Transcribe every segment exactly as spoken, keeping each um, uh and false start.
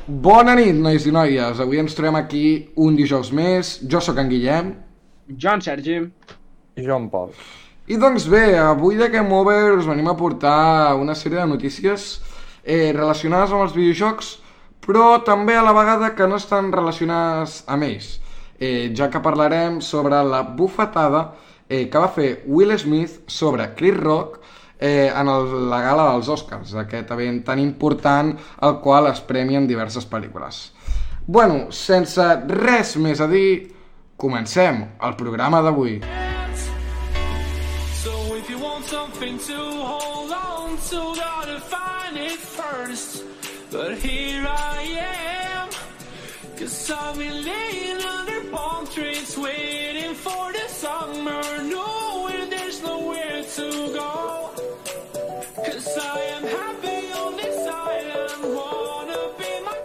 Bona nit, nois i noies. Avui ens trobem aquí un dijous més. Jo sóc en Guillem. Jo, en Sergi. I jo en Pol. I doncs bé, avui de Game Over us venim a portar una sèrie de notícies eh, relacionades amb els videojocs, però també a la vegada que no estan relacionades amb ells, eh, ja que parlarem sobre la bufetada eh, que va fer Will Smith sobre Chris Rock eh, en el, la gala dels Oscars, aquest event tan important al qual es premien diverses pel·lícules. Bueno, sense res més a dir, comencem el programa d'avui. Something to hold on to, gotta find it first. But here I am, cause I've been laying under palm trees, waiting for the summer, knowing there's nowhere to go. Cause I am happy on this island, wanna be my...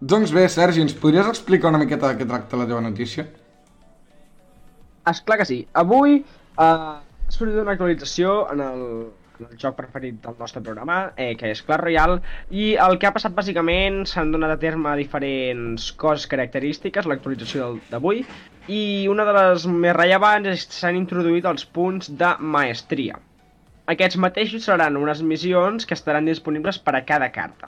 Doncs bé, Sergi, ens podries explicar una miqueta de què tracta la teva notícia? Esclar que sí. Avui eh, ha sortit una actualització en el, en el joc preferit del nostre programa, eh, que és Clash Royale, i el que ha passat bàsicament s'han donat a terme diferents coses característiques, l'actualització d'avui, i una de les més rellevants és que s'han introduït els punts de maestria. Aquests mateixos seran unes missions que estaran disponibles per a cada carta.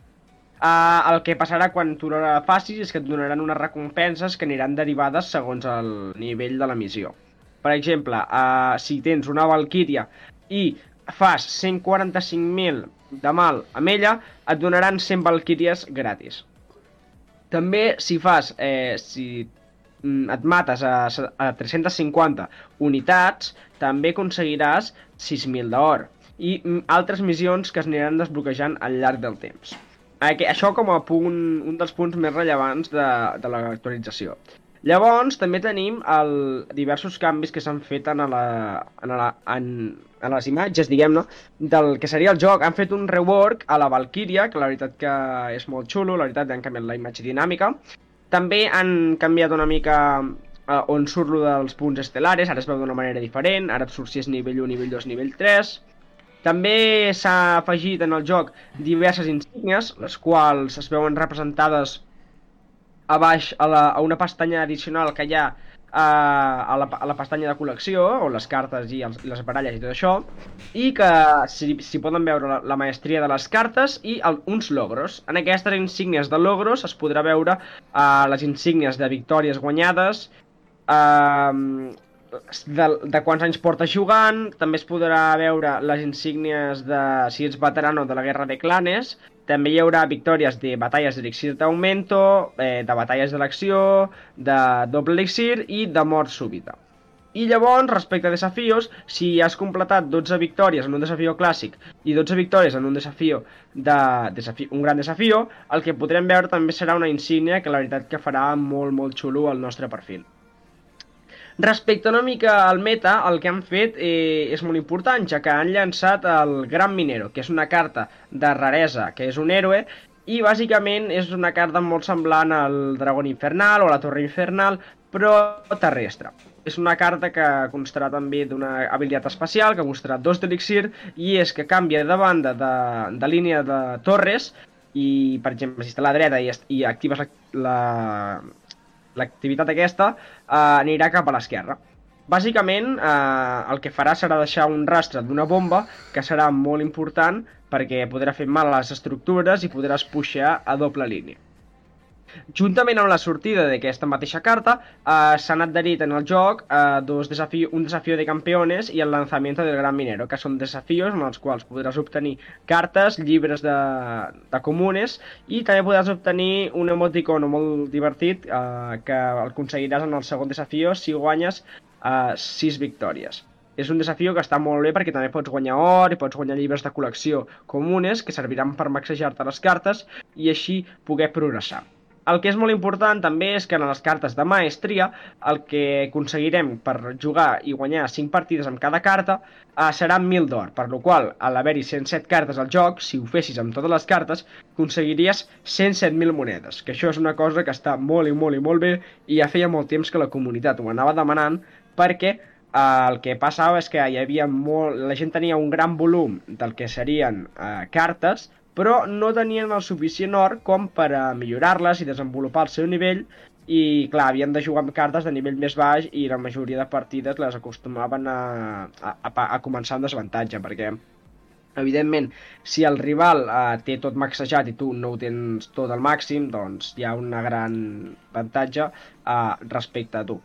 Uh, el que passarà quan tu la facis és que et donaran unes recompenses que aniran derivades segons el nivell de la missió. Per exemple, uh, si tens una Valkyria i fas cent quaranta-cinc mil de mal amb ella, et donaran cent Valkyries gratis. També si fas, eh, si et mates a, a tres-centes cinquanta unitats, també aconseguiràs sis mil d'or i altres missions que es aniran desbloquejant al llarg del temps. Això com a punt, un dels punts més rellevants de, de l'actualització. Llavors, també tenim el, diversos canvis que s'han fet en, la, en, la, en, en les imatges, diguem-ne, del que seria el joc. Han fet un rework a la Valkyria, que la veritat que és molt xulo, la veritat han canviat la imatge dinàmica. També han canviat una mica eh, on surt lo dels punts estelares, ara es veu d'una manera diferent, ara et surt si és nivell u, nivell dos, nivell tres... També s'ha afegit en el joc diverses insígnies, les quals es veuen representades a baix a, la, a una pestanya addicional que hi ha a, a, la, a la pestanya de col·lecció, on les cartes i, els, i les baralles i tot això, i que s'hi si poden veure la, la maestria de les cartes i el, uns logros. En aquestes insígnies de logros es podrà veure uh, les insígnies de victòries guanyades, uh, De, de quants anys portes jugant, també es podrà veure les insígnies de si ets veterano de la Guerra de Clanes, també hi haurà victòries de batalles d'elixir d'augmento, eh, de batalles d'elecció, de doble elixir i de mort súbita. I llavors, respecte a desafios, si has completat dotze victòries en un desafió clàssic i dotze victòries en un desafió de desafi, un gran desafió, el que podrem veure també serà una insígnia que la veritat que farà molt molt xulo al nostre perfil. Respecte una mica al meta, el que han fet eh, és molt important, ja que han llançat el Gran Minero, que és una carta de raresa, que és un héroe, i bàsicament és una carta molt semblant al Dragón Infernal o a la Torre Infernal, però terrestre. És una carta que constarà també d'una habilitat especial, que constarà dos d'elixir, i és que canvia de banda de, de línia de torres, i per exemple, si està a la dreta i, i actives la... la l'activitat aquesta eh, anirà cap a l'esquerra. Bàsicament, eh, el que farà serà deixar un rastre d'una bomba que serà molt important perquè podrà fer mal a les estructures i podràs puxar a doble línia. Juntament amb la sortida d'aquesta mateixa carta, eh, s'han adherit en el joc eh, dos desafios, un desafió de campeones i el lanzamiento del Gran Minero, que són desafios en els quals podràs obtenir cartes, llibres de, de comunes, i també podràs obtenir un emoticono molt divertit eh, que el aconseguiràs en el segon desafió si guanyes eh, sis victòries. És un desafió que està molt bé perquè també pots guanyar or i pots guanyar llibres de col·lecció comunes que serviran per maxejar-te les cartes i així poder progressar. El que és molt important també és que en les cartes de maestria el que aconseguirem per jugar i guanyar cinc partides amb cada carta eh, serà mil d'or, per la qual al haver-hi cent set cartes al joc, si ho fessis amb totes les cartes, aconseguiries cent set mil monedes, que això és una cosa que està molt i molt i molt bé i ja feia molt temps que la comunitat ho anava demanant perquè eh, el que passava és que hi havia molt... la gent tenia un gran volum del que serien eh, cartes, però no tenien el suficient or com per a millorar-les i desenvolupar el seu nivell, i clar, havien de jugar amb cartes de nivell més baix i la majoria de partides les acostumaven a, a, a, a començar amb desavantatge, perquè evidentment, si el rival eh, té tot maxejat i tu no ho tens tot al màxim, doncs hi ha una gran avantatge eh, respecte a tu.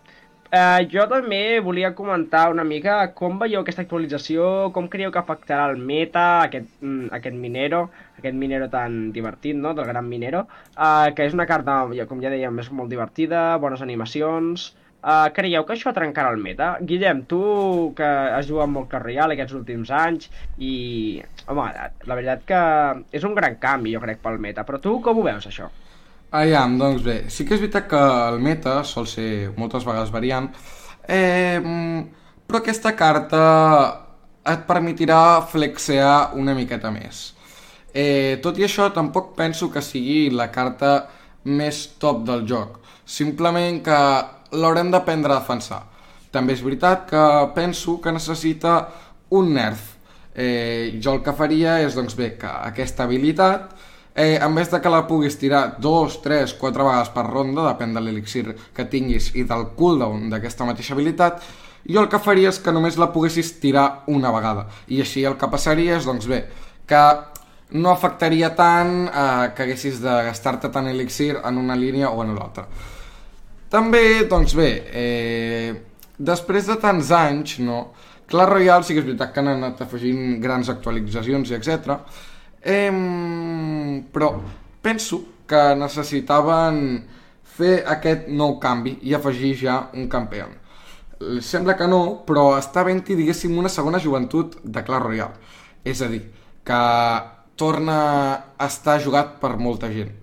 Eh, jo també volia comentar una mica com veieu aquesta actualització, com creieu que afectarà el meta, aquest, mm, aquest Minero, aquest Minero tan divertit, no?, del Gran Minero, eh, que és una carta, com ja dèiem, és molt divertida, bones animacions. Eh, creieu que això trencarà el meta? Guillem, tu que has jugat molt Clash Royale aquests últims anys i, home, la veritat que és un gran canvi, jo crec, pel meta, però tu com ho veus, això? Aviam, doncs bé, sí que és veritat que el meta sol ser moltes vegades variant, eh, però aquesta carta et permetirà flexear una miqueta més. Eh, tot i això, tampoc penso que sigui la carta més top del joc, simplement que l'haurem d'aprendre a defensar. També és veritat que penso que necessita un nerf. Eh, jo el que faria és, doncs bé, que aquesta habilitat, Eh, en vez de que la puguis tirar dos, tres, quatre vegades per ronda, depèn de l'elixir que tinguis i del cooldown d'aquesta mateixa habilitat, jo el que faria és que només la poguessis tirar una vegada. I així el que passaria és, doncs bé, que no afectaria tant eh, que haguessis de gastar-te tant elixir en una línia o en l'altra. També, doncs bé, eh, després de tants anys, no, Clash Royale sí que és veritat que han anat afegint grans actualitzacions i etcètera, Eh, però penso que necessitaven fer aquest nou canvi i afegir ja un campió. Sembla que no, però està havent-hi, diguéssim, una segona joventut de Clash Royale. És a dir, que torna a estar jugat per molta gent.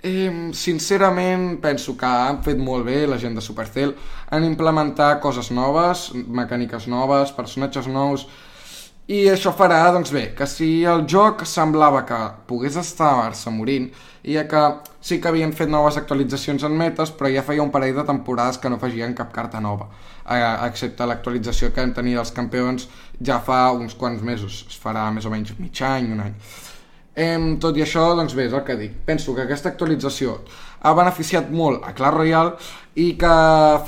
Eh, sincerament, penso que han fet molt bé la gent de Supercell. Han implementat coses noves, mecàniques noves, personatges nous. I això farà, doncs bé, que si el joc semblava que pogués estar-se morint, i que sí que havien fet noves actualitzacions en metes, però ja feia un parell de temporades que no afegien cap carta nova, excepte l'actualització que vam tenir dels campions ja fa uns quants mesos, es farà més o menys mig any, un any. Eh, tot i això, doncs bé, és el que dic. Penso que aquesta actualització ha beneficiat molt a Clash Royale i que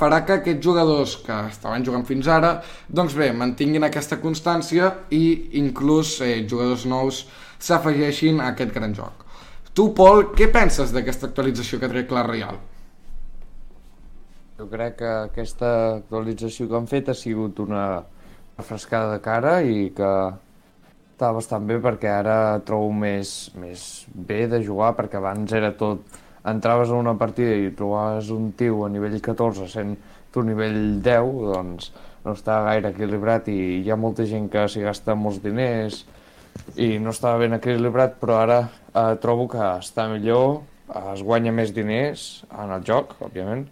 farà que aquests jugadors que estaven jugant fins ara, doncs bé, mantinguin aquesta constància i inclús eh, jugadors nous s'afegeixin a aquest gran joc. Tu, Pol, què penses d'aquesta actualització que trec Clash Royale? Jo crec que aquesta actualització que han fet ha sigut una refrescada de cara i que està bastant bé, perquè ara trobo més, més bé de jugar, perquè abans era tot, entraves a una partida i trobaves un tio a nivell catorze sent tu nivell deu, doncs no està gaire equilibrat i hi ha molta gent que s'hi gasta molts diners i no estava ben equilibrat, però ara eh, trobo que està millor, es guanya més diners en el joc, òbviament,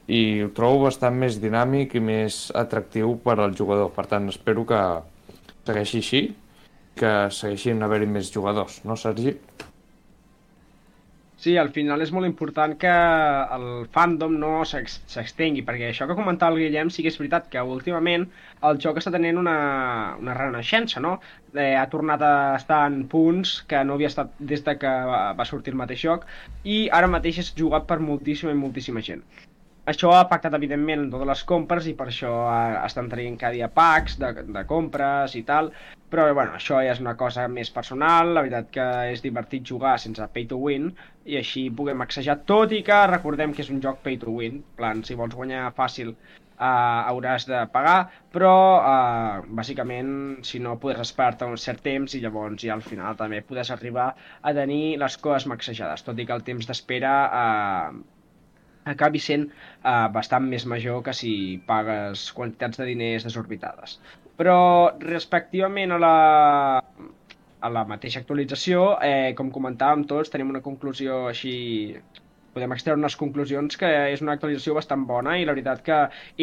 i ho trobo bastant més dinàmic i més atractiu per al jugador. Per tant, espero que segueixi així, que segueixin haver-hi més jugadors, no, Sergi? Sí, al final és molt important que el fandom no s'extengui, perquè això que comentava el Guillem sí que és veritat que últimament el joc està tenint una, una renaixença, no? Eh, ha tornat a estar en punts que no havia estat des de que va sortir el mateix joc i ara mateix és jugat per moltíssima i moltíssima gent. Això ha afectat, evidentment, en totes les compres i per això estan traient cada dia packs de, de compres i tal, però bueno, això ja és una cosa més personal, la veritat que és divertit jugar sense pay to win i així puguem exagerar, tot i que recordem que és un joc pay to win, en plan, si vols guanyar fàcil uh, hauràs de pagar, però uh, bàsicament si no podràs esperar-te un cert temps i llavors ja al final també podràs arribar a tenir les coses maxejades, tot i que el temps d'espera uh, acabi sent uh, bastant més major que si pagues quantitats de diners desorbitades. Però respectivament a la, a la mateixa actualització, eh, com comentàvem tots, tenim una conclusió així, podem extreure unes conclusions que és una actualització bastant bona i la veritat que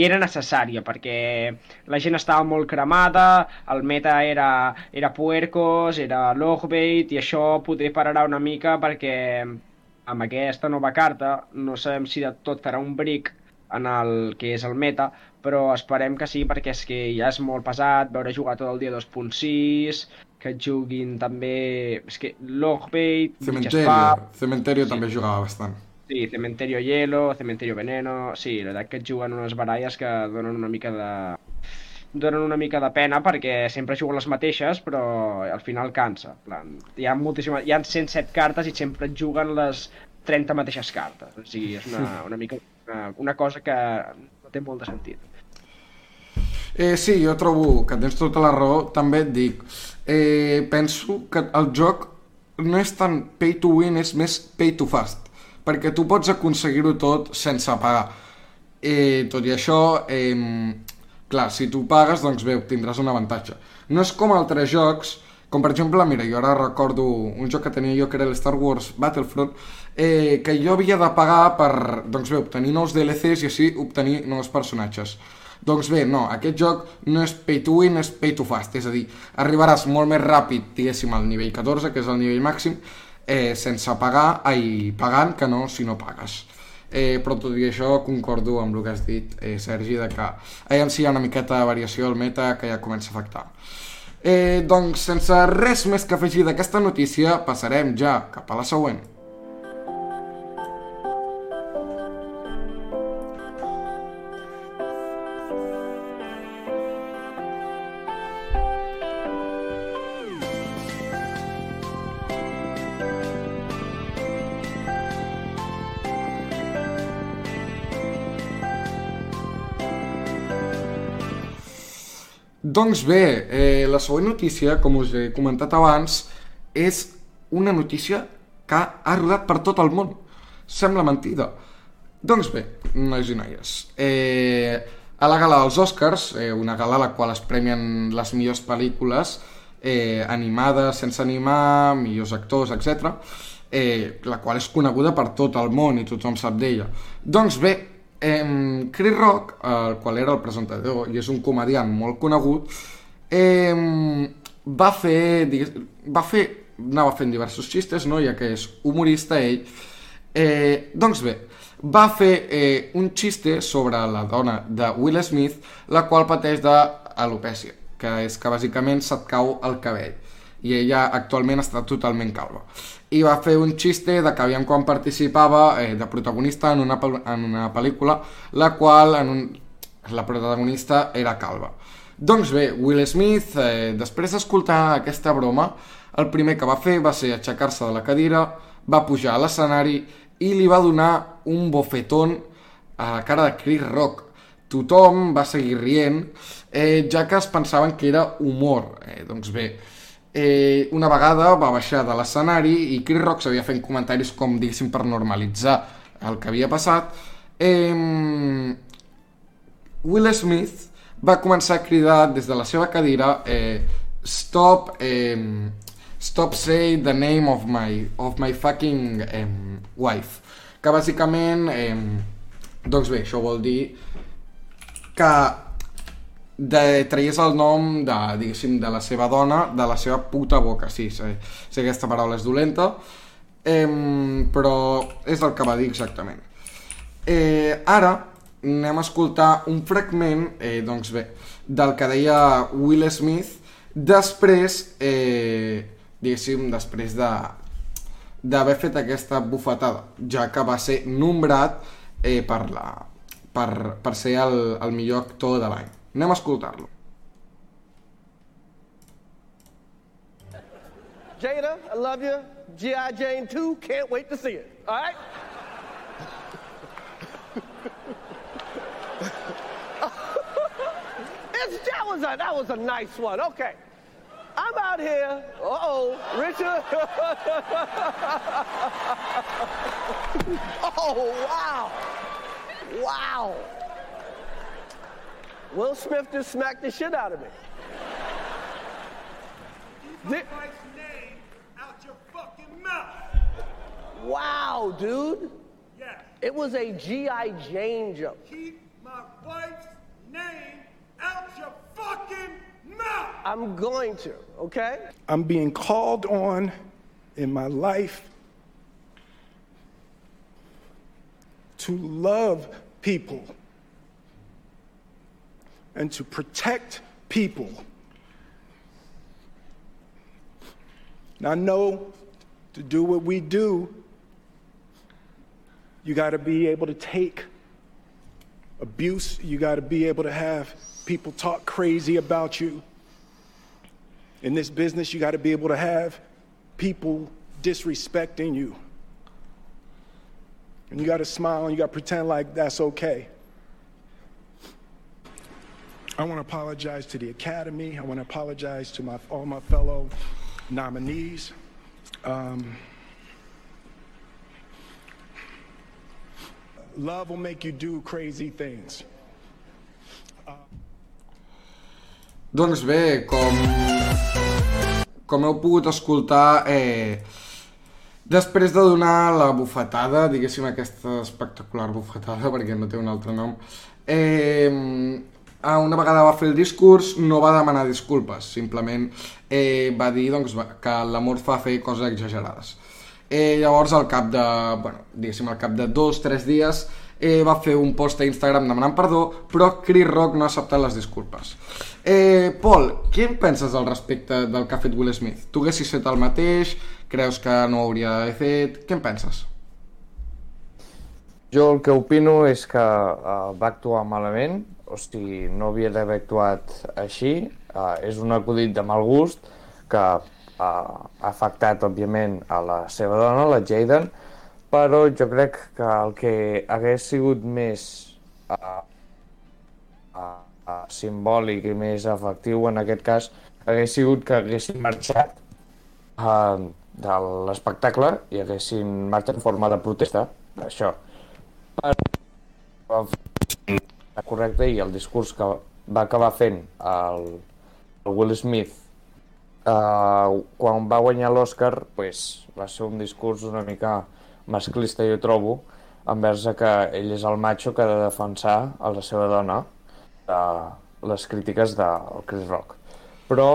era necessària perquè la gent estava molt cremada, el meta era, era puercos, era logbait i això poder pararà una mica perquè amb aquesta nova carta no sabem si de tot farà un brick en el que és el meta, però esperem que sí, perquè és que ja és molt pesat veure jugar tot el dia dos punt sis, que juguin també... És que Logbait, Cementerio, Cementerio sí. També jugava bastant. Sí, Cementerio Hielo, Cementerio Veneno... Sí, la veritat que et juguen unes baralles que donen una mica de... donen una mica de pena perquè sempre juguen les mateixes, però al final cansa. En plan, hi ha moltíssimes... Hi ha cent set cartes i sempre et juguen les trenta mateixes cartes. O sigui, és una, una mica una, una cosa que no té molt de sentit. Eh, sí, jo trobo que tens tota la raó. També et dic, eh, penso que el joc no és tan pay to win, és més pay to fast, perquè tu pots aconseguir-ho tot sense pagar. Eh, tot i això, eh, clar, si tu pagues, doncs bé, tindràs un avantatge. No és com altres jocs, com per exemple, mira, jo ara recordo un joc que tenia jo que era el Star Wars Battlefront, eh, que jo havia de pagar per, doncs bé, obtenir nous D L Cs i així obtenir nous personatges. Doncs bé, no, aquest joc no és pay to win, és pay to fast, és a dir, arribaràs molt més ràpid, diguéssim, al nivell catorze, que és el nivell màxim, eh, sense pagar, ai, pagant, que no si no pagues. Eh, però tot i això concordo amb el que has dit, eh, Sergi, de que aviam si hi ha una miqueta de variació al meta que ja comença a afectar. Eh, doncs, sense res més que afegir d'aquesta notícia, passarem ja cap a la següent. Doncs bé, eh, la següent notícia, com us he comentat abans, és una notícia que ha rodat per tot el món. Sembla mentida. Doncs bé, nois i noies, eh, a la gala dels Oscars, eh, una gala a la qual es premien les millors pel·lícules eh, animades, sense animar, millors actors, etcètera, eh, la qual és coneguda per tot el món i tothom sap d'ella. Doncs bé, Eh, Chris Rock, el qual era el presentador i és un comediant molt conegut, eh, va fer, va fer, anava fent diversos xistes, no? Ja que és humorista ell, eh, doncs bé, va fer eh, un xiste sobre la dona de Will Smith, la qual pateix d'alopècia, que és que bàsicament se't cau el cabell, i ella actualment està totalment calva. I va fer un xiste de que aviam quan participava eh, de protagonista en una, en una pel·lícula, la qual en un, la protagonista era calva. Doncs bé, Will Smith, eh, després d'escoltar aquesta broma, el primer que va fer va ser aixecar-se de la cadira, va pujar a l'escenari i li va donar un bofetón a la cara de Chris Rock. Tothom va seguir rient, eh, ja que es pensaven que era humor. Eh, doncs bé, Eh, una vegada va baixar de l'escenari i Chris Rock s'havia fent comentaris com, diguéssim, per normalitzar el que havia passat. eh, Will Smith va començar a cridar des de la seva cadira eh, stop eh, stop say the name of my, of my fucking eh, wife, que bàsicament eh, doncs bé, això vol dir que de, traies el nom de, diguéssim, de la seva dona, de la seva puta boca. Sí, sí, sí, aquesta paraula és dolenta, eh, però és el que va dir exactament. Eh, ara anem a escoltar un fragment, eh, doncs bé, del que deia Will Smith després, eh, diguéssim, després de d'haver fet aquesta bufetada, ja que va ser nombrat eh, per, la, per, per ser el, el millor actor de l'any. Anem a escoltar-lo. Jada, I love you. G I. Jane two, can't wait to see it. All right? it's, that, was a, that was a nice one. Okay. I'm out here. Uh-oh, Richard. oh, wow. Wow. Will Smith just smacked the shit out of me. Keep my wife's name out your fucking mouth. Wow, dude. Yes. It was a G I. Jane joke. Keep my wife's name out your fucking mouth. I'm going to, okay? I'm being called on in my life to love people and to protect people. Now, I know to do what we do, you got to be able to take abuse. You got to be able to have people talk crazy about you. In this business, you got to be able to have people disrespecting you. And you got to smile and you got to pretend like that's okay. I want to apologize to the Academy. I want to apologize to my, all my fellow nominees. Um, love will make you do crazy things. Uh... Doncs bé, com, com heu pogut escoltar, eh, després de donar la bufetada, diguéssim aquesta espectacular bufetada, perquè no té un altre nom, eh, una vegada va fer el discurs no va demanar disculpes, simplement eh, va dir doncs, que l'amor fa fer coses exagerades. Eh, llavors al cap de, bueno, diguéssim, al cap de dos o tres dies eh, va fer un post a Instagram demanant perdó, però Chris Rock no ha acceptat les disculpes. Eh, Pol, què en penses al respecte del que ha fet Will Smith? Tu haguessis fet el mateix? Creus que no ho hauria d'haver fet? Què en penses? Jo el que opino és que uh, va actuar malament, o sigui, no havia d'haver actuat així, uh, és un acudit de mal gust que uh, ha afectat, òbviament, a la seva dona, la Jaden, però jo crec que el que hagués sigut més uh, uh, uh, simbòlic i més efectiu en aquest cas hagués sigut que haguessin marxat uh, de l'espectacle i haguessin marxat en forma de protesta, això. Però correcte, i el discurs que va acabar fent el, el Will Smith uh, quan va guanyar l'Oscar, pues, va ser un discurs una mica masclista, jo trobo, envers que ell és el macho que ha de defensar a la seva dona de les crítiques del Chris Rock. Però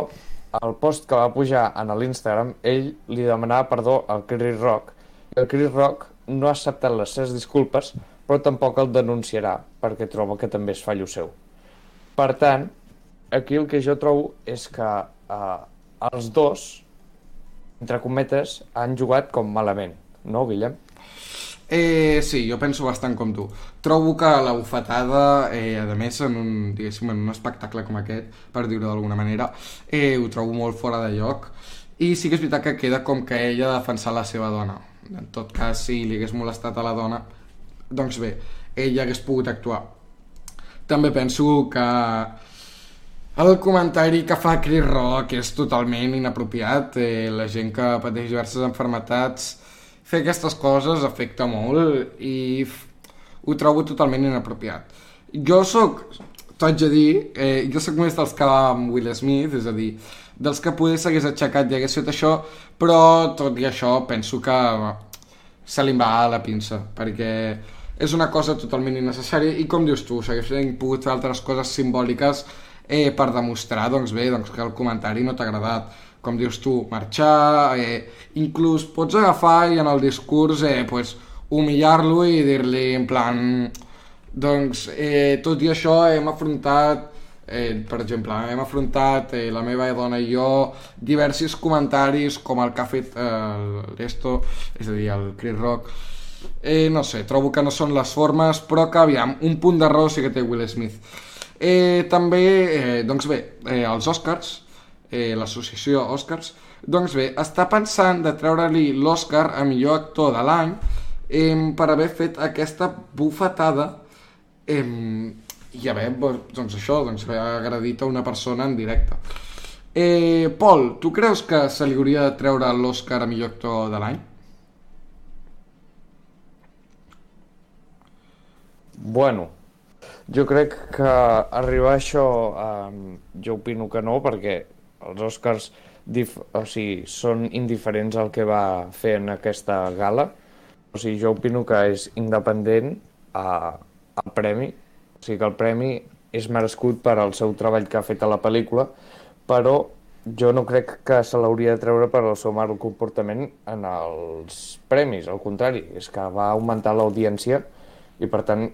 el post que va pujar en l'Instagram, ell li demanava perdó al Chris Rock, i el Chris Rock no ha acceptat les seves disculpes, però tampoc el denunciarà, perquè troba que també és fallo seu. Per tant, aquí el que jo trobo és que eh, els dos, entre cometes, han jugat com malament, no, Guillem? Eh, sí, jo penso bastant com tu. Trobo que la bufetada, eh, a més, en un, diguéssim, en un espectacle com aquest, per dir-ho d'alguna manera, eh, ho trobo molt fora de lloc, i sí que és veritat que queda com que ella ha defensat la seva dona. En tot cas, si li hagués molestat a la dona, doncs bé, ella hagués pogut actuar. També penso que el comentari que fa Chris Rock és totalment inapropiat. Eh, la gent que pateix diverses malalties, fer aquestes coses afecta molt i ho trobo totalment inapropiat. Jo soc, t'ho haig de dir, eh, jo soc més dels que va amb Will Smith, és a dir, dels que poder s'hagués aixecat i hagués fet això, però tot i això penso que se li va a la pinça, perquè és una cosa totalment innecessària i, com dius tu, s'haguessin pogut fer altres coses simbòliques eh, per demostrar, doncs bé, doncs que el comentari no t'ha agradat. Com dius tu, marxar, eh, inclús pots agafar i en el discurs eh, pues, humillar-lo i dir-li en plan, doncs eh, tot i això hem afrontat, eh, per exemple, hem afrontat eh, la meva dona i jo diversos comentaris com el que ha fet eh, l'Esto, és a dir, el Chris Rock. Eh, no sé, trobo que no són les formes, però que, aviam, un punt d'error sí que té Will Smith. Eh, també, eh, doncs bé, eh, els Oscars, eh, l'associació Oscars, doncs bé, està pensant de treure-li l'Oscar a millor actor de l'any eh, per haver fet aquesta bufetada eh, i haver, doncs això, doncs haver agredit a una persona en directe. Eh, Pol, tu creus que se li hauria de treure l'Oscar a millor actor de l'any? Bueno, jo crec que arribar a això eh, jo opino que no, perquè els Oscars dif- o sigui, són indiferents al que va fer en aquesta gala. O sigui, jo opino que és independent eh, el premi, o sigui que el premi és merescut per al seu treball que ha fet a la pel·lícula, però jo no crec que se l'hauria de treure per al seu mal comportament en els premis, al contrari, és que va augmentar l'audiència i per tant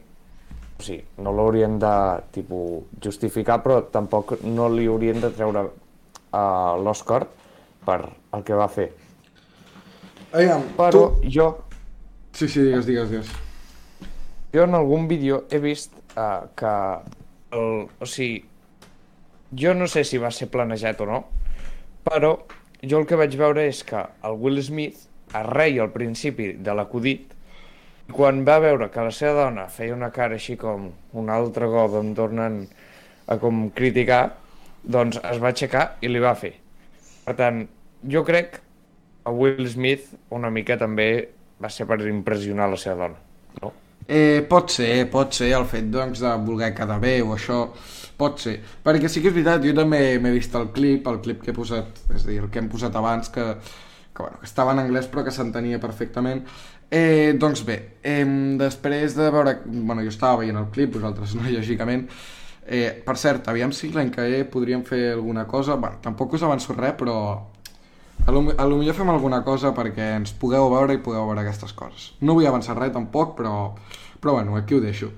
o sigui, no l'haurien de tipus, justificar, però tampoc no li haurien de treure uh, l'Oscar per el que va fer. Aviam, Però tu... jo, Sí, sí, digues, digues, digues. jo en algun vídeo he vist uh, que, el, o sigui, jo no sé si va ser planejat o no, però jo el que vaig veure és que el Will Smith es reia al principi de l'acudit, i quan va veure que la seva dona feia una cara així com un altre got on tornen a com criticar, doncs es va aixecar i li va fer. Per tant, jo crec que Will Smith una mica també va ser per impressionar la seva dona, no? Eh, pot ser, pot ser el fet doncs, de voler quedar bé o això, pot ser. Perquè sí que és veritat, jo també m'he vist el clip, el clip que he posat, és a dir, el que hem posat abans, que, que, bueno, que estava en anglès però que s'entenia perfectament. Eh, doncs bé, eh, després de veure... Bueno, jo estava veient el clip, vosaltres no, lògicament. Eh, per cert, aviam si l'any que ve podríem fer alguna cosa. Bueno, tampoc us avanço res, però a lo, a lo millor fem alguna cosa perquè ens pugueu veure i pugueu veure aquestes coses. No vull avançar res tampoc, però, però bueno, aquí ho deixo.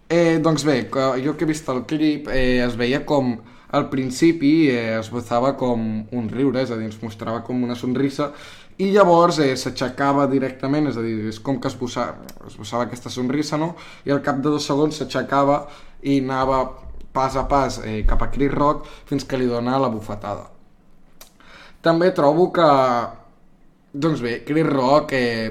Eh, doncs bé, jo que he vist el clip eh, es veia com al principi eh, es esbozava com un riure, és a dir, ens mostrava com una sonrisa i llavors eh, s'aixecava directament, és a dir, és com que esbossava, esbossava aquesta sonrisa, no? I al cap de dos segons s'aixecava i anava pas a pas eh, cap a Chris Rock fins que li dona la bufetada. També trobo que, doncs bé, Chris Rock eh,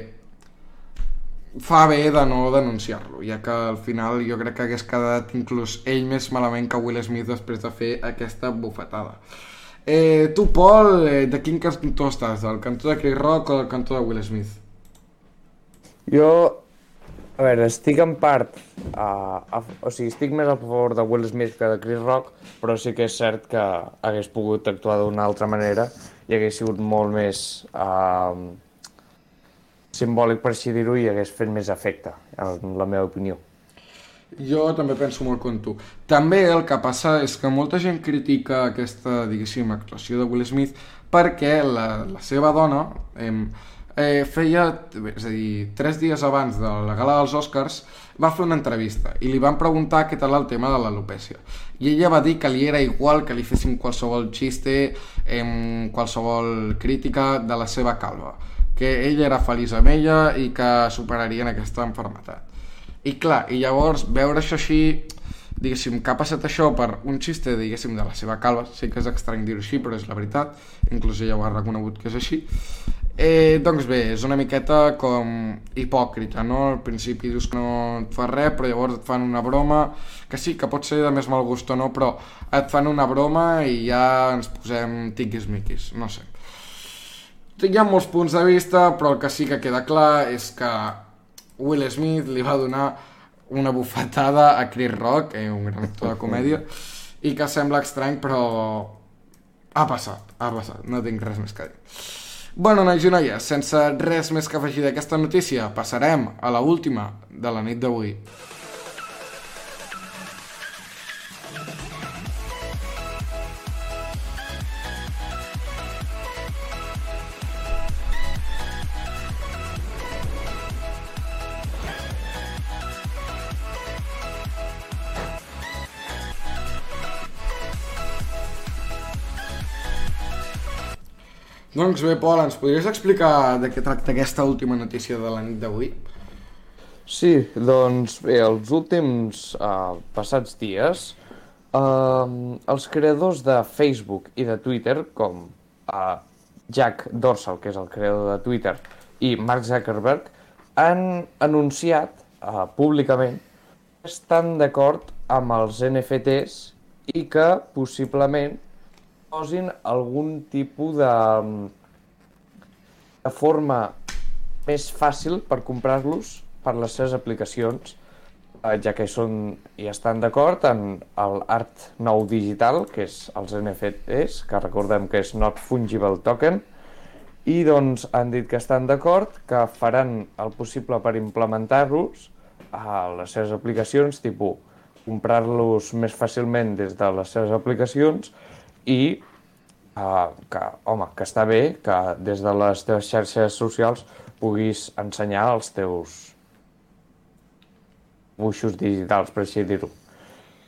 fa bé de no denunciar-lo, ja que al final jo crec que hagués quedat inclús ell més malament que Will Smith després de fer aquesta bufetada. Eh, tu, Pol, eh, de quin cantó estàs? Del cantó de Chris Rock o del cantó de Will Smith? Jo, a veure, estic en part, uh, a, o sigui, estic més a favor de Will Smith que de Chris Rock, però sí que és cert que hagués pogut actuar d'una altra manera i hagués sigut molt més uh, simbòlic, per així dir-ho, i hagués fet més efecte, en la meva opinió. Jo també penso molt com tu. També el que passa és que molta gent critica aquesta, diguéssim, actuació de Will Smith perquè la, la seva dona eh, eh, feia, és a dir, tres dies abans de la gala dels Oscars va fer una entrevista i li van preguntar què tal el tema de l'alopècia. I ella va dir que li era igual que li fessin qualsevol xiste, eh, qualsevol crítica de la seva calva, que ella era feliç amb ella i que superarien aquesta malaltia. I clar, i llavors veure això així, diguéssim, que ha passat això per un xiste, diguéssim, de la seva calva, sé que és estrany dir-ho així, però és la veritat, inclús ella ho ha reconegut que és així, eh, doncs bé, és una miqueta com hipòcrita, no? Al principi dius que no et fa res, però llavors et fan una broma, que sí, que pot ser de més mal gust o no, però et fan una broma i ja ens posem tiquis-miquis, no sé. Hi ha molts punts de vista, però el que sí que queda clar és que Will Smith li va donar una bufetada a Chris Rock, eh, un gran actor de comèdia, i que sembla estrany, però ha passat, ha passat, no tinc res més que dir. Bueno, nois i noies, sense res més que afegir d'aquesta notícia, passarem a la última de la nit d'avui. Doncs bé, Pol, ens podries explicar de què tracta aquesta última notícia de la nit d'avui? Sí, doncs bé, els últims uh, passats dies, uh, els creadors de Facebook i de Twitter, com uh, Jack Dorsey, que és el creador de Twitter, i Mark Zuckerberg, han anunciat uh, públicament que estan d'acord amb els N F Ts i que possiblement posin algun tipus de, de forma més fàcil per comprar-los per les seves aplicacions, ja que són i estan d'acord en l'art nou digital, que és els N F Ts, que recordem que és Not Fungible Token, i doncs han dit que estan d'acord, que faran el possible per implementar-los a les seves aplicacions, tipus comprar-los més fàcilment des de les seves aplicacions, i uh, que, home, que està bé que des de les teves xarxes socials puguis ensenyar els teus dibuixos digitals, per així dir-ho.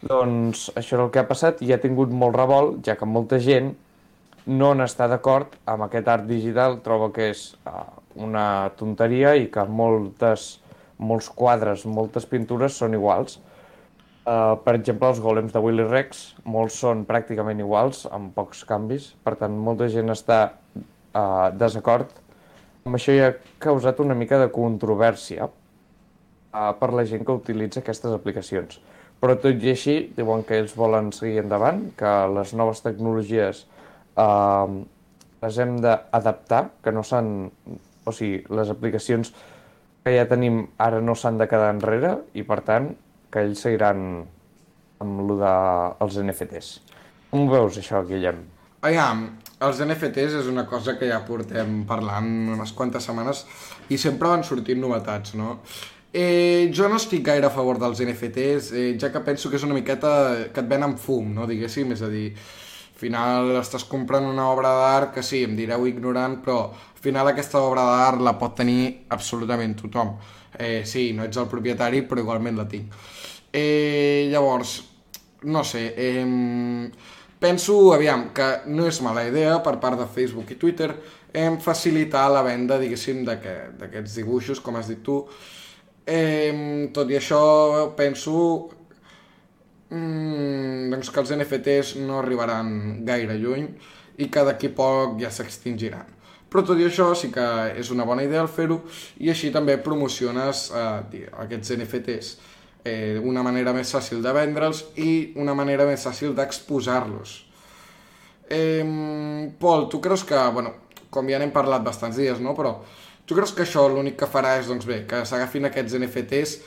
Doncs això és el que ha passat i ha tingut molt revolt, ja que molta gent no n'està d'acord amb aquest art digital, troba que és uh, una tonteria i que moltes, molts quadres, moltes pintures són iguals. Uh, per exemple, els golems de Willy Rex, molts són pràcticament iguals, amb pocs canvis, per tant, molta gent està uh, desacord. Amb això ja ha causat una mica de controvèrsia uh, per la gent que utilitza aquestes aplicacions. Però tot i així, diuen que ells volen seguir endavant, que les noves tecnologies Uh, les hem d'adaptar, que no s'han... O sigui, les aplicacions que ja tenim ara no s'han de quedar enrere i, per tant, que ells seguiran amb lo dels N F Ts. Com ho veus, això, Guillem? Aviam, els N F Ts és una cosa que ja portem parlant unes quantes setmanes i sempre van sortint novetats, no? Eh, jo no estic gaire a favor dels N F Ts, eh, ja que penso que és una miqueta que et venen fum, no? Diguéssim, és a dir... Al final estàs comprant una obra d'art que sí, em direu ignorant, però al final aquesta obra d'art la pot tenir absolutament tothom. Eh, sí, no ets el propietari, però igualment la tinc. Eh, llavors, no sé, eh, penso, aviam, que no és mala idea per part de Facebook i Twitter eh, facilitar la venda, diguéssim, d'aquests dibuixos, com has dit tu. Eh, tot i això, penso... Mm, doncs que els N F Ts no arribaran gaire lluny i que d'aquí poc ja s'extingiran. Però tot i això sí que és una bona idea el fer-ho i així també promociones eh, aquests N F Ts. Eh, una manera més fàcil de vendre'ls i una manera més fàcil d'exposar-los. Eh, Pol, tu creus que, bueno, com ja n'hem parlat bastants dies, no? Però tu creus que això l'únic que farà és, doncs bé, que s'agafin aquests N F Ts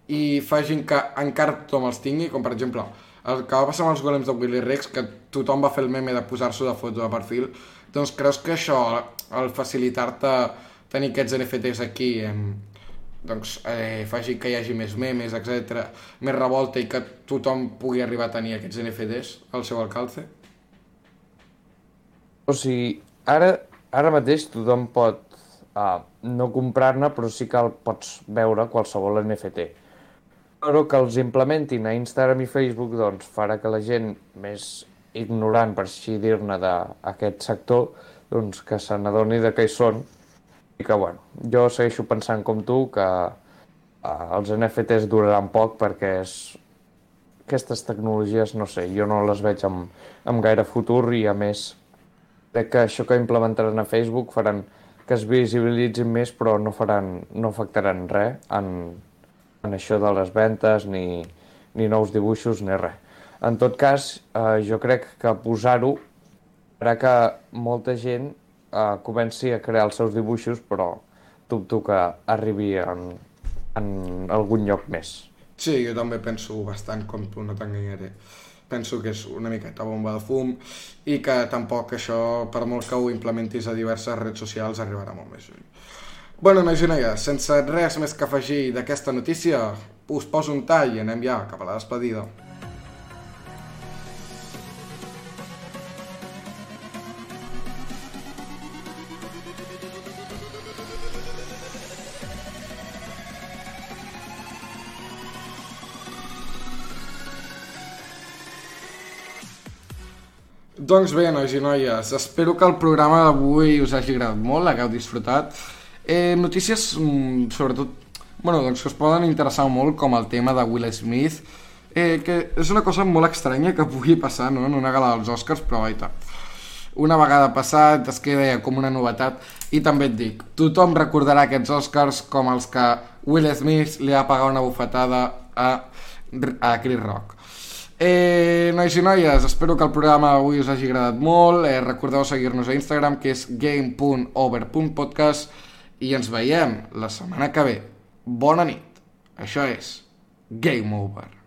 i facin que encara tothom els tingui, com per exemple el que va passar amb els golems de Willy Rex, que tothom va fer el meme de posar-s'ho de foto de perfil, doncs creus que això, al facilitar-te tenir aquests N F Ts aquí, eh, doncs eh, faci que hi hagi més memes, etcètera, més revolta i que tothom pugui arribar a tenir aquests N F Ts al seu alcalce? O sigui, ara, ara mateix tothom pot uh, no comprar-ne, però sí que el pots veure qualsevol N F T. Però que els implementin a Instagram i Facebook doncs, farà que la gent més ignorant, per així dir-ne, d'aquest sector, doncs, que se n'adoni de què hi són. I que, bueno, jo segueixo pensant com tu que uh, els N F Ts duraran poc perquè és... aquestes tecnologies, no sé, jo no les veig amb, amb gaire futur i, a més, crec que això que implementaran a Facebook faran que es visibilitzin més, però no faran, no afectaran res en... en això de les ventes, ni, ni nous dibuixos, ni res. En tot cas, eh, jo crec que posar-ho farà que molta gent eh, comenci a crear els seus dibuixos, però dubto que arribi en, en algun lloc més. Sí, jo també penso bastant com tu, no t'enganyaré. Penso que és una miqueta bomba de fum i que tampoc això, per molt que ho implementis a diverses redes socials, arribarà molt més lluny. Bueno, nois i noies, sense res més que afegir d'aquesta notícia, us poso un tall i anem ja cap a la despedida. Doncs bé, nois i noies, espero que el programa d'avui us hagi agradat molt, l'hagueu disfrutat. Eh, notícies, sobretot, bueno, doncs que us poden interessar molt, com el tema de Will Smith, eh, que és una cosa molt estranya que pugui passar, no?, en una gala dels Oscars, però vaita, una vegada passat es queda ja com una novetat. I també et dic, tothom recordarà aquests Oscars com els que Will Smith li va pagar una bufetada a, a Chris Rock. Eh, nois i noies, espero que el programa avui us hagi agradat molt. Eh, recordeu seguir-nos a Instagram, que és game punt over punt podcast, i ens veiem la setmana que ve. Bona nit. Això és Game Over.